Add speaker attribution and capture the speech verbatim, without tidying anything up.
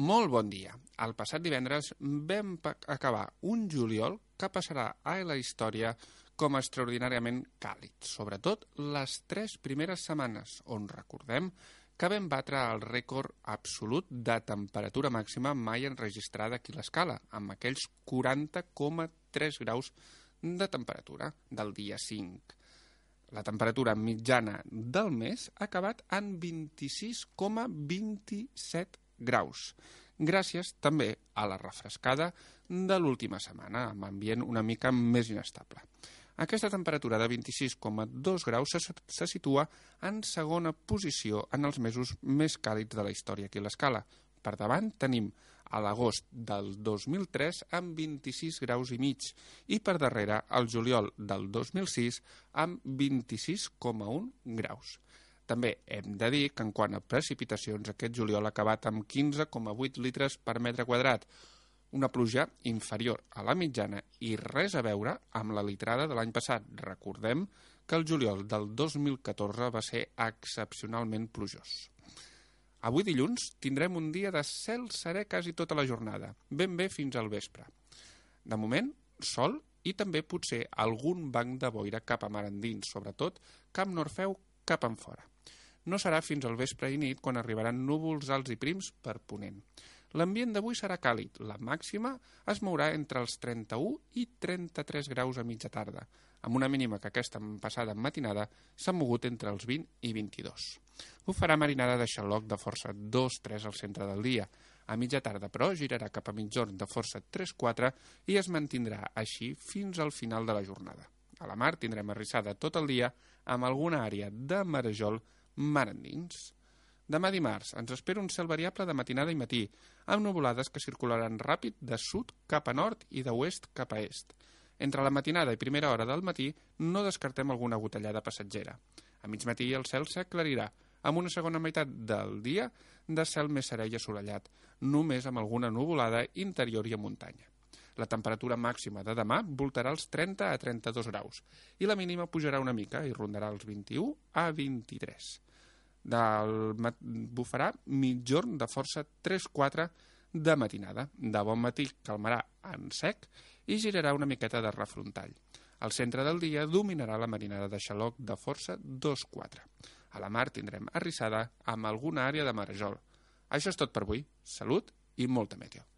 Speaker 1: Molt bon dia. El passat divendres vam acabar un juliol que passarà a la història com a extraordinàriament càlid, sobretot les tres primeres setmanes, on recordem que vam batre el rècord absolut de temperatura màxima mai enregistrada aquí a l'escala, amb aquells quaranta coma tres graus de temperatura del dia cinc. La temperatura mitjana del mes ha acabat en vint-i-sis coma vint-i-set graus, gràcies també a la refrescada de l'última setmana, amb ambient una mica més inestable. Aquesta temperatura de vint-i-sis coma dos graus se, se situa en segona posició en els mesos més càlids de la història aquí a l'escala. Per davant tenim a l'agost del dos mil tres amb vint-i-sis graus i mig i per darrere el juliol del dos mil sis amb vint-i-sis coma un graus. També hem de dir que en quant a precipitacions aquest juliol ha acabat amb quinze coma vuit litres per metre quadrat, una pluja inferior a la mitjana i res a veure amb la litrada de l'any passat. Recordem que el juliol del dos mil catorze va ser excepcionalment plujós. Avui dilluns tindrem un dia de cel serè quasi tota la jornada, ben bé fins al vespre. De moment, sol i també potser algun banc de boira cap a mar endins, sobretot Camp Norfeu cap enfora. No serà fins al vespre i nit quan arribaran núvols alts i prims per ponent. L'ambient d'avui serà càlid, la màxima es mourà entre els trenta-u i trenta-tres graus a mitja tarda, amb una mínima que aquesta passada matinada s'ha mogut entre els vint i vint-i-dos. Ho farà marinada de xaloc de força dos tres al centre del dia. A mitja tarda, però, girarà cap a mitjorn de força tres quatre i es mantindrà així fins al final de la jornada. A la mar tindrem arrissada tot el dia amb alguna àrea de marejol mar endins. Demà dimarts ens espera un cel variable de matinada i matí, amb nuvolades que circularan ràpid de sud cap a nord i d'oest cap a est. Entre la matinada i primera hora del matí no descartem alguna gotellada passatgera. A mig matí el cel s'aclarirà, amb una segona meitat del dia de cel més serè i assolellat, només amb alguna nuvolada interior i a muntanya. La temperatura màxima de demà voltarà els trenta a trenta-dos graus i la mínima pujarà una mica i rondarà els vint-i-u a vint-i-tres. Del bufarà mitjorn de força tres quatre de matinada. De bon matí calmarà en sec i girarà una miqueta de refrontall. Al centre del dia dominarà la marinada de xaloc de força dos quatre. A la mar tindrem arrissada amb alguna àrea de marejol. Això és tot per avui. Salut i molta meteo.